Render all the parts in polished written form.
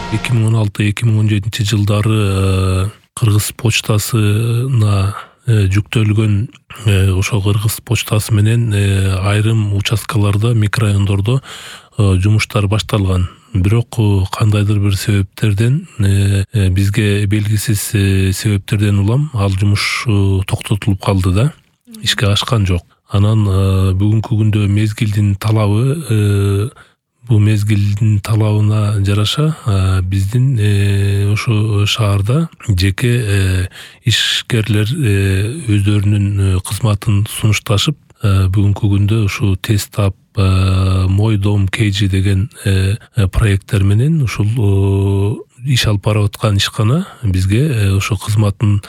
2016-2017 жылдары Кыргыз почтасына жүктөлгөн ошо Кыргыз почтасы менен айрым участкаларда, микрорайондордо жумуштар башталган. Бирок кандайдыр бир себептерден бизге белгисиз себептерден улам ал жумуш токтотулуп калды да, ишке ашкан жок. Анан бүгүнкү күндө мезгилдин талабы, бул мезгилдин талабына жараша биздин ошо шаарда жеке ишкерлер өздөрүнүн кызматын сунушташып, бүгүнкү күндө ушу Тестап, Мой дом Кейджи деген проекттер менен ушул иш алып барып аткан ишкана бизге ошо кызматын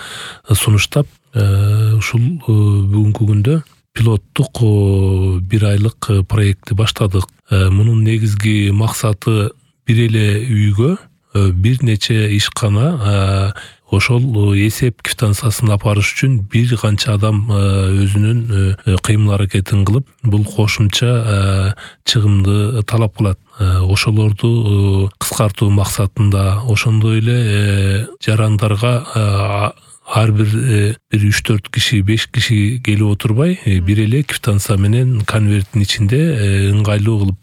сунуштап, ушул бүгүнкү күндө пилоттук 1 айлык проектти баштадык. Мунун негизги максаты бир эле үйгө бир нече ишкана ошол эсеп квитанциясын апарыш үчүн бир канча адам өзүнүн кыймыл аракетин кылып, бул кошумча чыгымды талап кылат. Ошолорду кыскартуу максатында, ошондой эле жарандарга ар бир 3-4 киши, 5 киши келип отурбай, бир эле квитанция менен конверттин ичинде ыңгайлуу кылып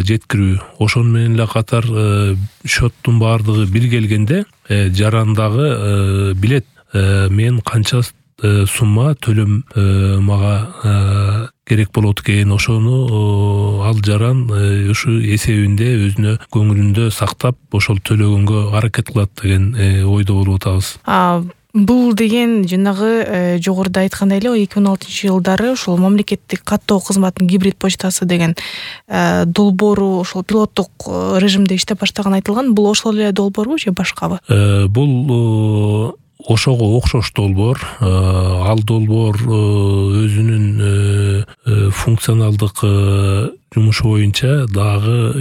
жеткирүү. Ошону менен эле катар счеттун баардыгы бир келгенде жарандагы билет мен канча сумма төлөм мага керек болот экен, ошону ал жаран ушу эсебинде өзүнө көңүлүндө сактап, ошол төлөгөнгө аракет кылат деген ойдо болуп атабыз. Бул деген жанагы жогоруда айткандай эле 2016-жылдары ошол мамлекеттик каттоо кызматынын гибрид почтасы деген долбоору ошол пилоттук режимде иштеп баштаган айтылган. Бул ошол эле долбоорбу же башкабы? Бул ошого окшош долбоор. Ал долбоор өзүнүн функционалдык жумушу боюнча дагы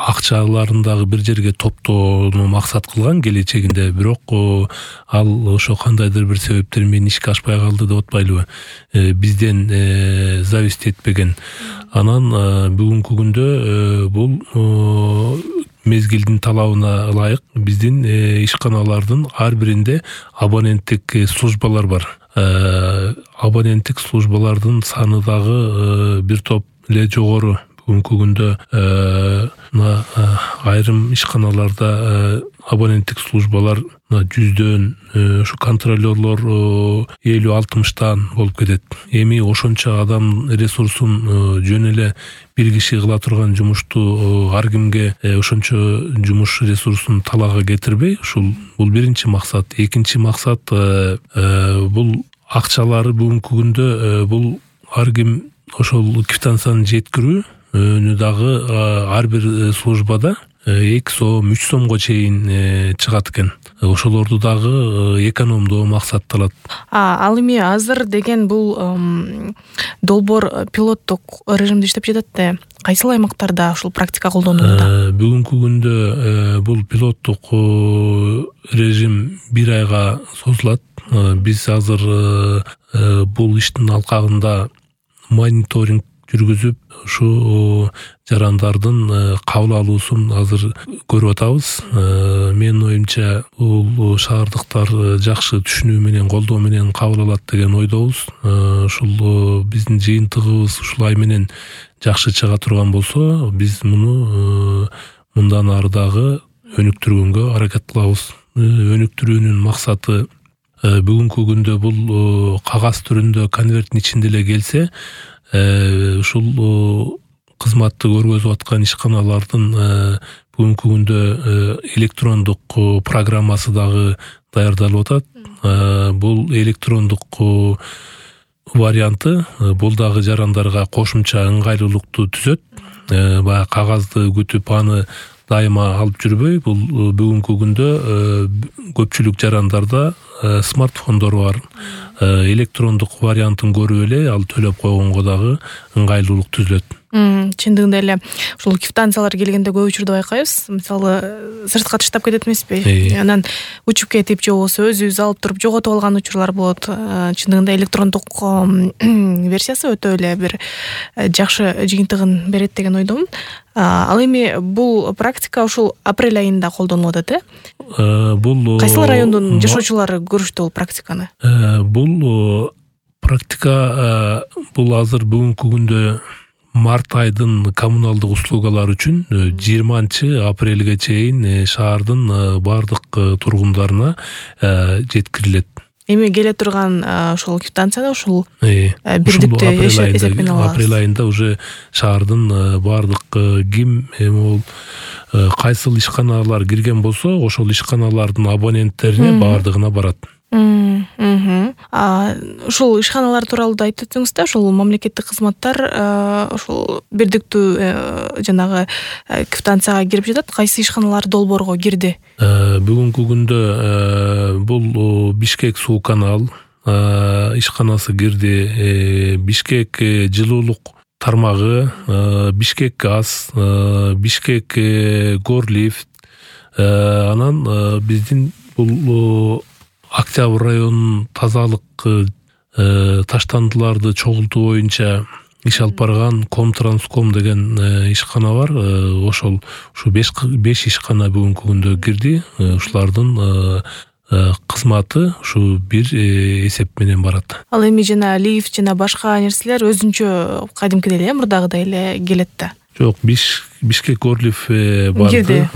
акчаларын дагы бир жерге топтоону максат кылган келечегинде. Бирок ал ошо кандайдыр бир себептер менен ишке ашпай калды деп атпайлыбы, бизден зависить этпеген. Анан бүгүнкү күндө бул мезгилдин талабына ылайык биздин ишканалардын ар биринде абоненттик службалар бар. Абоненттик службалардын саны дагы бир топ эле жогору. Бүгүнкү күндө айрым ишканаларда абоненттик службалар 100дөн, ушу контролерлор 50-60тан болуп кетет. Эми ошончо адам ресурсун жөн эле бир киши кыла турган жумушту ар кимге ошончо жумуш ресурсун талаага кетирбей, бул биринчи максат. Экинчи максат бул акчалары бүгүнкү күндө бул ар ким ошол квитанцияны жеткирүү дагы ар бир службада 2 сом, 3 сомго чейин чыгат экен. Ошолорду дагы экономдоо максатталат. Ал эми азыр деген бул долбоор пилоттук режимде иштеп жатат да. Кайсыл аймактарда ушул практика колдонулууда? Бүгүнкү күндө бул пилоттук режим 1 айга созулат. Биз азыр бул иштин алкагында мониторинг жүргүзүп, ушу жарандардын кабыл алуусун азыр көрүп атабыз. Менин оюмча бул шаардыктар жакшы түшүнүү менен, колдоо менен кабыл алат деген ойдобуз. Ушул биздин жыйынтыгыбыз ушулай менен жакшы чыга турган болсо, биз муну мындан ары дагы өнүктүргөнгө аракет кылабыз. Өнүктүрүүнүн максаты бүгүнкү күндө бул кагаз түрүндө конверттин ичинде эле келсе, ушул кызматты көргөзүп аткан ишканалардын бүгүнкү күндө электрондук программасы дагы даярдалып атат. Бул электрондук варианты бул дагы жарандарга кошумча ыңгайлуулукту түзөт. Баягы кагазды күтүп аны дайыма алып жүрбөй, бул бүгүнкү күндө көпчүлүк жарандарда смартфондор бар. Электрондук вариантын көрүп эле ал төлөп койгонго дагы ыңгайлуулук түзүлөт. Чындыгында эле ушул квитанциялар келгенде көп учурда байкайбыз. Мисалы, сыртка таштап кетет эмеспи? Анан учуп кетип же болбосо өзүбүз алып туруп жоготуп алган учурлар болот. Чындыгында электрондук версиясы өтө эле бир жакшы жыйынтыгын берет деген ойдомун. Ал эми бул практика ушул апрель айында колдонулуп атат, Бул кайсыл райондун жашоочулары көрүштү бул практиканы? Бул практика бул азыр бүгүнкү күндө март айдын коммуналдык услугалар үчүн 20-апрелге чейин шаардын бардык тургундарына жеткирилет. Эми келе турган ушул квитанцияда ушул бирдиктүү эсеппен алабыз. Апрель айында уже шаардын бардык ким кайсыл ишканалар кирген болсо, ошол ишканалардын абоненттерине бардыгына барат. Ушул ишканалар тууралуу да айтып өтсөңүз да, ушул мамлекеттик кызматтар ушул бирдиктүү жанагы квитанцияга кирип жатат. Кайсы ишканалар долбоорго кирди? Бүгүнкү күндө бул Бишкек суу канал ишканасы кирди, Бишкек жылуулук тармагы, Бишкек газ, Бишкек горлифт, анан биздин бул Октябрь районунун тазалык таштандыларды чогултуу боюнча иш алып барган Комтранском деген ишкана бар. Ошол ушу 5 ишкана бүгүнкү күндө кирди. Ушулардын кызматы ушу бир эсеп менен барат. Ал эми жана лифт жана башка нерселер өзүнчө кадимкидей эле мурдагыдай эле келет да. Жок, Бишкек горлифт барды.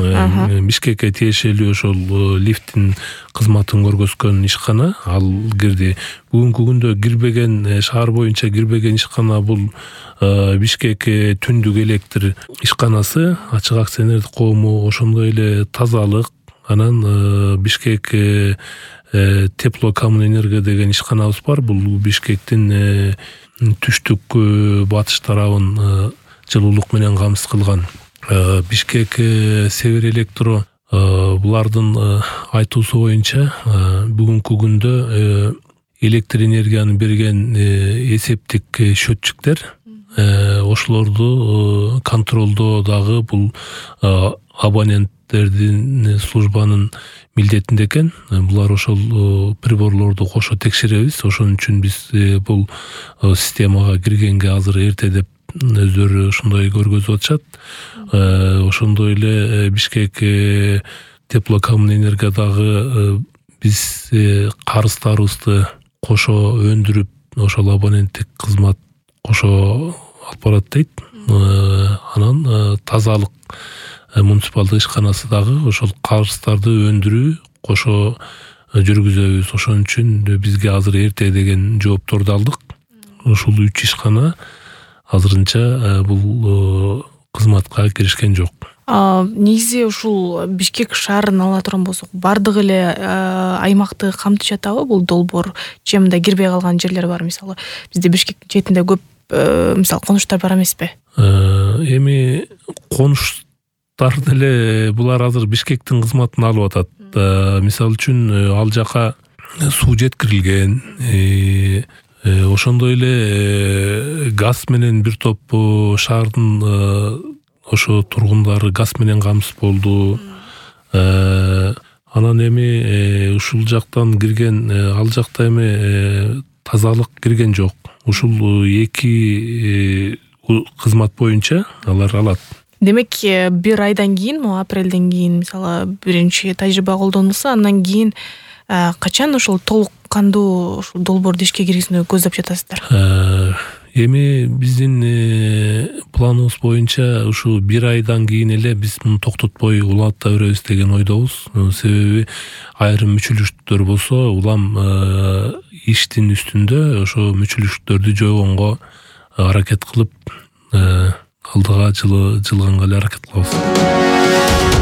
Бишкекке тиешелүү ошол лифттин кызматын көргөзгөн ишкана ал кирди. Бүгүнкү күндө кирбеген, шаар боюнча кирбеген ишкана бул Бишкек түндүк электр ишканасы, ачык акционердик коому, ошондой эле тазалык, анан Бишкек теплокоммунэнерго деген ишканабыз бар. Бул Бишкектин түштүк батыш тарабын жылуулук менен камсыз кылган. Бишкек Север электро булардын айтуусу боюнча бүгүнкү күндө электр энергияны берген эсептик счетчиктер ошолорду контролдоо дагы бул абоненттердин службанын милдетинде экен. Булар ошол приборлорду кошо текшеребиз. Ошон үчүн биз бул системага киргенге азыр эрте деп өздөрү ошондой көргөзүп атышат. Ошондой эле Бишкек теплокоммунэнерго дагы биз карыздарыбызды кошо өндүрүп, ошол абоненттик кызмат кошо алып барат дейт. Анан тазалык муниципалдык ишканасы дагы ошол карыздарды өндүрүү кошо жүргүзөбүз. Ошон үчүн бизге азыр эрте деген жоопторду алдык. Ушул 3 ишкана азырынча бул кызматка киришкен жок. Негизи ушул Бишкек шаарын ала турган болсок, бардык эле аймакты камтып жатабы бул долбоор? Же мындай кирбей калган жерлер бар, мисалы бизде Бишкек четинде көп мисалы конуштар бар эмеспи? Эми конуштар деле булар азыр Бишкектин кызматын алып атат. Мисалы үчүн ал жака суу жеткирилген, ошондой эле газ менен бир топ шаардын ошо тургундары газ менен камсыз болду. Анан эми ушул жактан кирген, ал жакта эми тазалык кирген жок. Ушул 2 кызмат боюнча алар алат. Демек, бир айдан кийин, апрелден кийин мисалы биринчи тажрыйба колдонулса, андан кийин качан ушул толук кандуу ушул долбоорду ишке киргизүүнү көздөп жатасыздар? Эми биздин планыбыз боюнча ушу бир айдан кийин эле биз муну токтотпой уланта беребиз деген ойдобуз. Себеби айрым мүчүлүштөр болсо улам иштин үстүндө ошо мүчүлүштөрдү жойгонго аракет кылып алдыга жылганга эле аракет кылабыз.